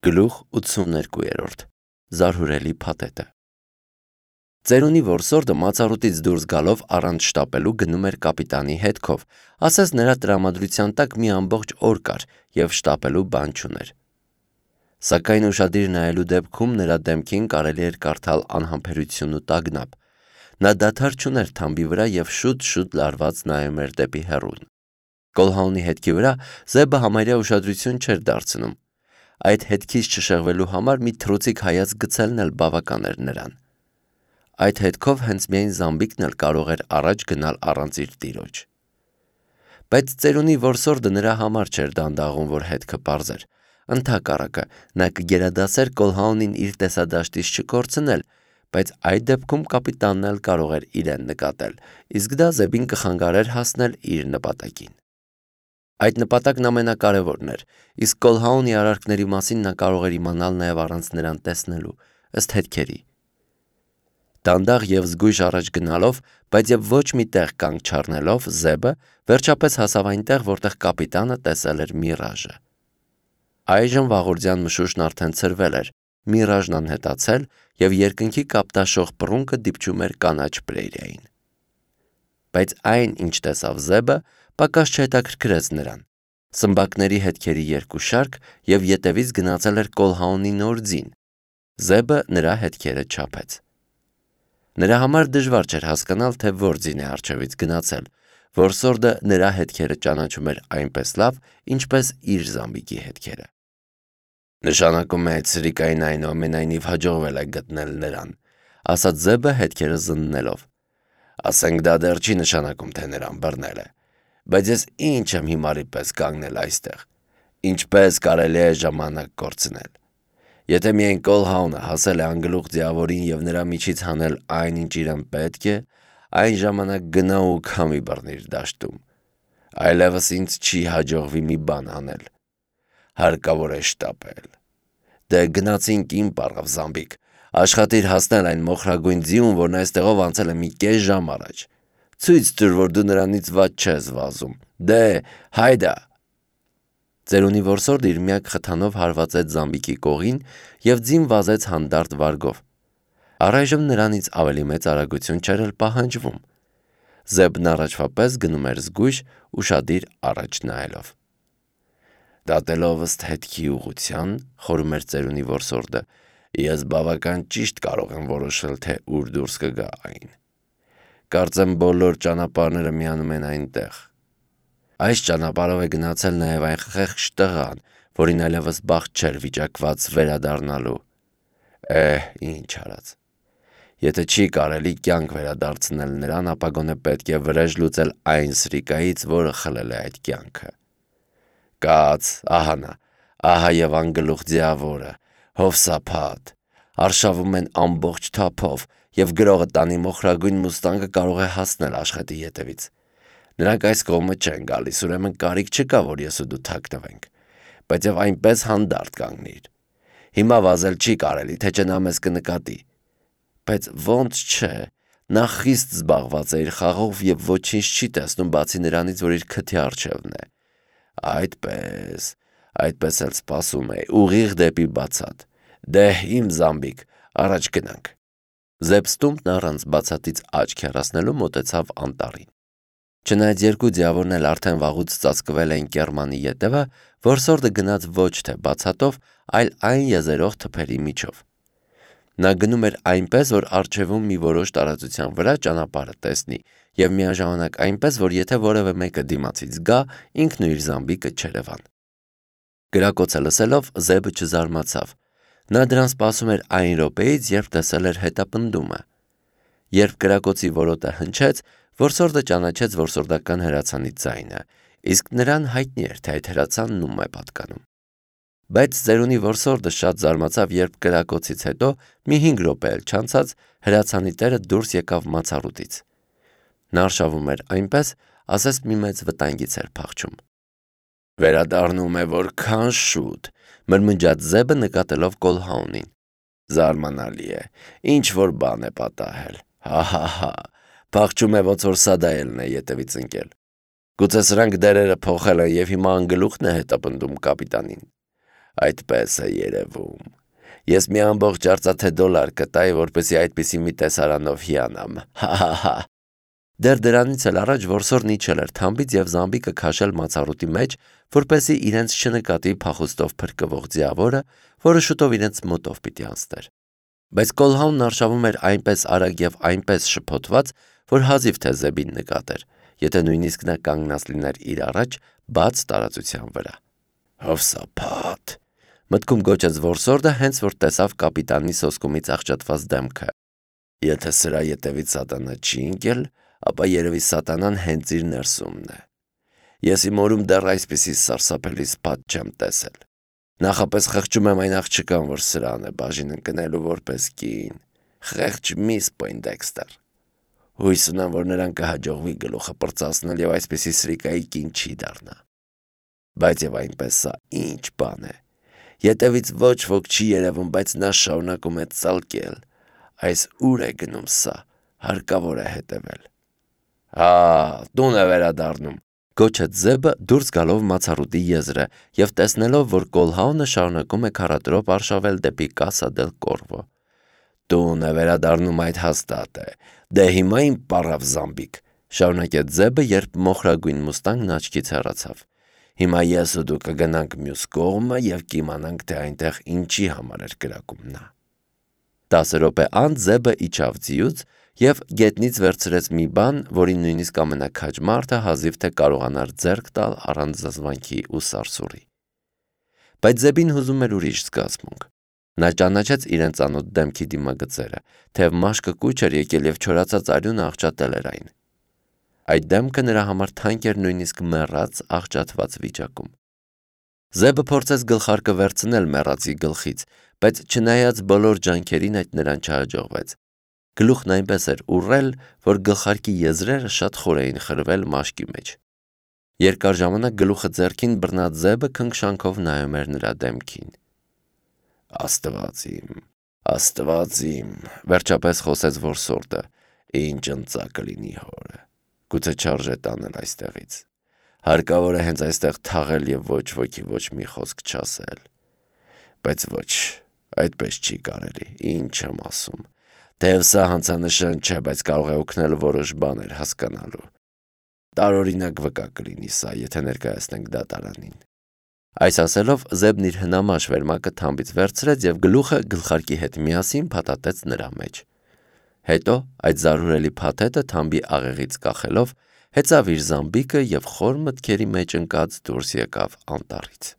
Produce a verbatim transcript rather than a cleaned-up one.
Գլուխ ութսուներկու Զարհուրելի փաթեթը Ծերունի որսորդը մածառուտից դուրս գալով առանց շտապելու գնում էր կապիտանի հետքով, ասես նրա տրամադրության տակ մի ամբողջ օր կար և շտապելու բան չուներ: Սակայն ուշադիր նայելու դեպքում նրա դեմքին կարելի էր կարդալ անհամբերություն ու տագնապ: Նա դադար չուներ թամբի վրա և շուտ-շուտ լարված նայում էր դեպի հեռուն: Կոլհաունի հետքի վրա Զեբը համարյա ուշադրություն չէր դարձնում: Այդ հետքից չշեղվելու համար մի թռուցիկ հայացք գցելն էլ բավական էր նրան: Այդ հետքով հենց միայն Զամբիկն էլ կարող էր առաջ գնալ առանց իր տիրոջ: Բայց ծերունի որսորդը նրա համար չէր դանդաղում, որ հետքը պարզեր: Ընդհակառակը, նա կգերադասեր Կոլհաունին իր տեսադաշտից չկորցնել, բայց այդ դեպքում կապիտանն էլ կարող էր իրեն նկատել, իսկ դա Զեբին կխանգարեր հասնել իր նպատակին: Այդ նպատակն ամենակարևորն էր, իսկ Կոլհաունի արարքների մասին նա կարող էր իմանալ նաև առանց նրան տեսնելու, ըստ հետքերի: Դանդաղ և զգույշ առաջ գնալով, բայց և ոչ մի տեղ կանգ չառնելով, Զեբը վերջապես հասավ այնտեղ, որտեղ կապիտանը տեսել էր Միրաժը: Այժմ վաղորդյան մշուշն արդեն ցրվել էր, Միրաժն անհետացել և երկնքի կապտաշող պռունգը դիպչում էր կանաչ պրերիային: Բայց այն, ինչ տեսավ Զեբը, պակաս չհետաքրքրեց նրան: Սմբակների հետքերի երկու շարք և ետևից գնացել էր Կոլհաունի նոր ձին: Զեբը նրա հետքերը չափեց: Նրա համար դժվար չէր հասկանալ, թե որ ձին է առջևից գնացել: Որսորդը նրա հետքերը ճանաչում էր այնպես լավ, ինչպես իր Զամբիկի հետքերը: Նշանակում է Սրիկային այնուամենայնիվ հաջողվել է գտնել նրան, ասաց Զեբը հետքերը զննելով: Ասենք դա դեռ չի նշանակում, թե նրան բռնել է: Բայց ես ինչ եմ հիմարի պես կանգնել այստեղ: Ինչպե՞ս կարելի է ժամանակ կորցնել: Եթե միայն Կոլհաունը հասել է անգլուխ ձիավորին և նրա միջից հանել այն, ինչ իրեն պետք է, այն ժամանակ գնա ու քամի բռնիր դաշտում: Այլևս ինձ չի հաջողվի մի բան անել: Հարկավոր է շտապել: Դե գնացինք, իմ պառավ Զամբիկ, աշխատիր հասնել այն մոխրագույն ձիուն, որն այստեղով անցել է մի կես ժամ առաջ: Ցույց տուր, որ դու նրանից վատ չես վազում: Դե, հայդա: Ծերունի որսորդը իր միակ խթանով հարվածեց Զամբիկի կողին և ձին վազեց հանդարտ վարգով: Առայժմ նրանից ավելի մեծ արագություն չէր էլ պահանջվում: Զեբն առաջվա պես գնում էր զգույշ, ուշադիր առաջ նայելով: Դատելով ըստ հետքի ուղղության, խորում էր ծերունի որսորդը, ես բավական ճիշտ կարող եմ որոշել, թե ուր դուրս կգա այն: Կարծեմ բոլոր ճանապարհները միանում են այնտեղ: Այս ճանապարհով է գնացել նաև այն խեղճ տղան, որին այլևս բախտ չէր վիճակված վերադառնալու: Էհ, ինչ արած: Եթե չի կարելի կյանք վերադարձնել նրան, ապա գոնե պետք է վրեժ լուծել այն Սրիկայից, որը խլել է այդ կյանքը: Կաց, ահա նա, ահա և անգլուխ ձիավորը, հովսափատ: Արշավում են ամբողջ թափով և գրողը տանի մոխրագույն մուստանգը կարող է հասնել աշխետի ետևից: Նրանք այս կողմը չեն գալիս, ուրեմն կարիք չկա, որ ես ու դու թաքնվենք: Բայց և այնպես հանդարտ կանգնիր: Հիմա վազել չի կարելի, թե չէ նա մեզ կնկատի: Բայց ոնց չէ, նա խիստ զբաղված է իր խաղով և ոչինչ չի տեսնում, բացի նրանից, որ իր քթի առջևն է: Այդպես, այդպես էլ սպասում էի, ուղիղ դեպի բացատ: Դե, իմ Զամբիկ, առաջ գնանք: Զեբ առանց բացատից աչք հեռացնելու մոտեցավ անտառին: Չնայած երկու ձիավորն էլ արդեն վաղուց ծածկվել էին կեռմանի ետևը, որսորդը գնաց ոչ թե բացատով, այլ այն եզերող թփերի միջով: Նա գնում էր այնպես, որ առջևում մի որոշ տարածության վրա ճանապարհը տեսնի և միաժամանակ այնպես, որ եթե որևէ մեկը դիմացից գա, ինքն ու իր Զամբիկը չերևան: Կրակոցը լսելով, Զեբը չզարմացավ: Նա դրան սպասում էր այն րոպեից, երբ տեսել էր հետապնդումը: Երբ կրակոցի որոտը հնչեց, որսորդը ճանաչեց որսորդական հրացանի ձայնը, իսկ նրան հայտնի էր, թե այդ հրացանն ում է պատկանում: Բայց ծերունի որսորդը շատ զարմացավ, երբ կրակոցից հետո մի հինգ րոպե էլ չանցած, հրացանի տերը դուրս եկավ մացառուտից: Նա արշավում էր այնպես, ասես մի մեծ վտանգից էր փախչում: Վերադառնում է որքան շուտ, մրմնջաց Զեբը նկատելով Կոլհաունին: Զարմանալի է, ինչ-որ բան է պատահել: Հա՛֊հա՛-հա՛, փախչում է, ոնց որ սադայելն է ետևից ընկել: Գուցե սրանք դերերը փոխել են և հիմա անգլուխն է հետապնդում կապիտանին: Այդպես է երևում։ Ես մի ամբողջ արծաթե դոլար կտայի, որպեսզի այդպիսի մի տեսարանով հիանամ։ Հա-հա-հա։ Դեռ դրանից էլ առաջ որսորդն իջել էր թամբից և զամբիկը քաշել մացառուտի մեջ, որպեսզի իրենց չնկատի փախուստով փրկվող ձիավորը, որը շուտով իրենց մոտով պիտի անցներ։ Բայց Կոլհաունն արշավում էր այնպես արագ և այնպես շփոթված, որ հազիվ թե Զեբին նկատեր, եթե նույնիսկ նա կանգնած լիներ իր առաջ բաց տարածության վրա։ Հովսափաթ, մտքում գոչեց որսորդը, հենց որ տեսավ կապիտանի սոսկումից աղճատված դեմքը։ Եթե սրա ետևից սատանա չի ընկել, ապա երևի սատանան հենց իր ներսումն է։ Ես իմ օրում դեռ այսպիսի սարսափելի սփաթ չեմ տեսել։ Նախապես խղճում եմ այն աղջկան, որ սրան է բաժին ընկնելու որպես կին։ Խեղճ միս Պոյնդեքստեր։ Հույս ունեմ, որ նրան կհաջողվի գլուխը պրծացնել և այսպիսի սրիկայի կին չի դառնա։ Բայց և այնպես սա ինչ բան է։ Ետևից ոչ ոք չի երևում, բայց նա շարունակում է ծալկել։ Այս ուր է գնում սա, հարկավոր է հետևել։ Հա, տուն է վերադառնում, գոչեց Զեբը դուրս գալով մացառուտի եզրը և տեսնելով, որ Կոլհաունը շարունակում է քառատրոպ արշավել դեպի Կասա դել Կորվո։ Տուն է վերադառնում, այդ հաստատ է։ Դե հիմա իմ պառավ զամբիկ, շարունակեց Զեբը, երբ մոխրագույն մուստանգն աչքից հեռացավ։ Հիմա ես ու դու կգնանք մյուս կողմը և կիմանանք, թե այնտեղ ինչի համար էր կրակում նա։ Տասը րոպե անց Զեբը իջավ ձիուց և գետնից վերցրեց մի բան, որին նույնիսկ ամենաքաջ մարդը հազիվ թե կարողանար ձեռք տալ առանց զզվանքի ու սարսուռի։ Բայց Զեբին հուզում էր ուրիշ զգացմունք։ Նա ճանաչեց իրեն ծանոթ դեմքի դիմագծերը, թեև մաշկը կուչ էր եկել և չորացած արյունը աղճատել էր այն։ Այդ դեմքը նրա համար թանկ էր նույնիսկ մեռած աղճատված վիճակում։ Զեբը փորձեց գլխարկը վերցնել մեռածի գլխից, բայց չնայած բոլոր ջանքերին այդ նրան չհաջողվեց։ Գլուխն այնպես էր ուռել, որ գլխարկի եզրերը շատ խոր էին խրվել մաշկի մեջ։ Երկար ժամանակ գլուխը ձեռքին բռնած Զեբը քնքշանքով նայում էր նրա դեմքին։ Աստված իմ, Աստված իմ, վերջապես խոսեց որսորդը, ինչ ընծա կլինի հորը։ Գուցե չարժե տանել այստեղից։ Հարկավոր է հենց այստեղ թաղել և ոչ ոքի ոչ մի խոսք չասել։ Բայց ոչ, այդպես չի կարելի, ինչ եմ ասում։ Թեև սա հանցանշան չէ, բայց կարող է օգնել որոշ բաներ հասկանալու։ Տարօրինակ վկա կլինի սա, եթե ներկայացնենք դատարանին։ Այս ասելով Զեբն իր հնամաշ վերմակը թամբից վերցրեց և գլուխը գլխարկի հետ միասին փաթաթեց նրա մեջ։ Հետո այդ զարհուրելի փաթեթը թամբի աղեղից կախելով հեծավ իր զամբիկը և խոր մտքերի մեջ ընկած դուրս եկավ անտառից։